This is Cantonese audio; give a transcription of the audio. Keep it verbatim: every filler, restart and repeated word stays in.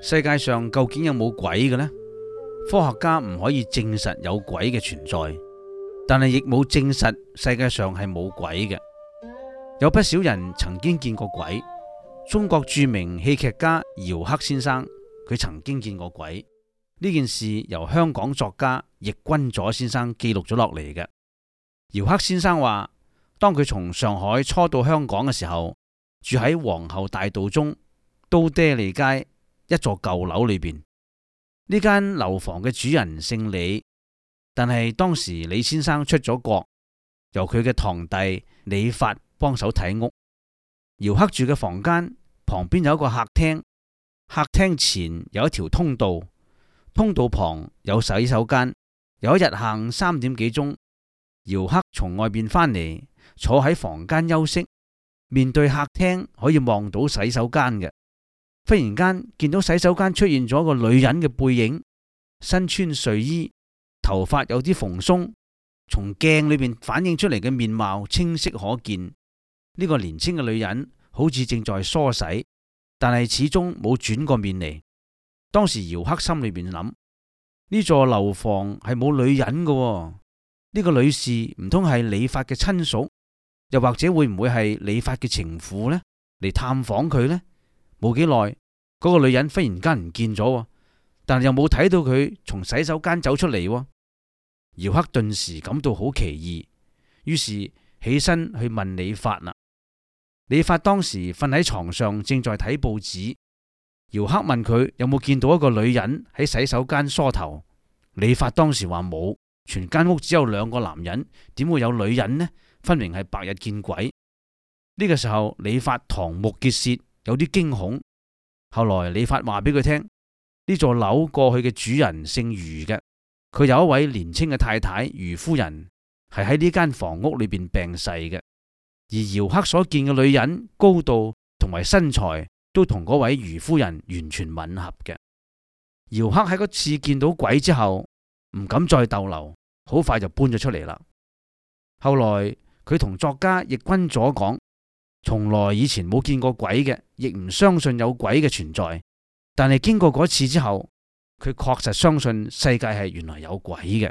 世界上究竟有冇鬼嘅呢？科學家唔可以證實有鬼嘅存在，但係亦冇證實世界上係冇鬼嘅。有不少人曾經見過鬼。中國著名戲劇家姚克先生，佢曾經見過鬼。呢件事由香港作家易君左先生記錄咗落嚟嘅。姚克先生話，當佢從上海初到香港嘅時候，住喺皇后大道中都爹利街一座舊樓裏邊。呢間樓房嘅主人姓李，但係當時李先生出咗國，由佢嘅堂弟李發幫手睇屋。姚克住嘅房間旁邊有一個客廳，客廳前有一條通道，通道旁有洗手間。有一日下午三點幾鐘，姚克從外邊返嚟，坐喺房間休息，面對客廳可以望到洗手間嘅。忽然間見到洗手間出現咗個女人嘅背影，身穿睡衣，頭髮有啲蓬鬆，從鏡裏邊反映出嚟嘅面貌清晰可見。呢個年輕嘅女人好似正在梳洗，但係始終冇轉過面嚟。當時姚克心裏邊諗，呢座樓房係冇女人嘅喎，呢個女士唔通係李發嘅親屬，又或者會唔會係李發嘅情婦呢？嚟探訪佢呢？冇幾耐，嗰個女人忽然間唔見咗，但係又冇睇到佢從洗手間走出嚟。姚克頓時感到好奇異，於是起身去問李發啦。李發當時瞓喺床上，正在睇報紙。姚克問佢有冇見到一個女人喺洗手間梳頭。李發當時話冇，全間屋只有兩個男人，點會有女人呢？分明係白日見鬼。呢個時候李發瞠目結舌，有啲驚恐。後來李發話俾佢聽，呢座樓過去嘅主人姓余嘅，佢有一位年輕嘅太太余夫人，係喺呢間房屋裏邊病逝嘅。而姚克所見嘅女人高度同埋身材都同嗰位余夫人完全吻合嘅。姚克喺嗰次見到鬼之後，唔敢再逗留，好快就搬咗出嚟啦。後來佢同作家易君左講，從來以前冇見過鬼嘅，亦唔相信有鬼嘅存在。但係經過嗰次之後，佢確實相信世界係原來有鬼嘅。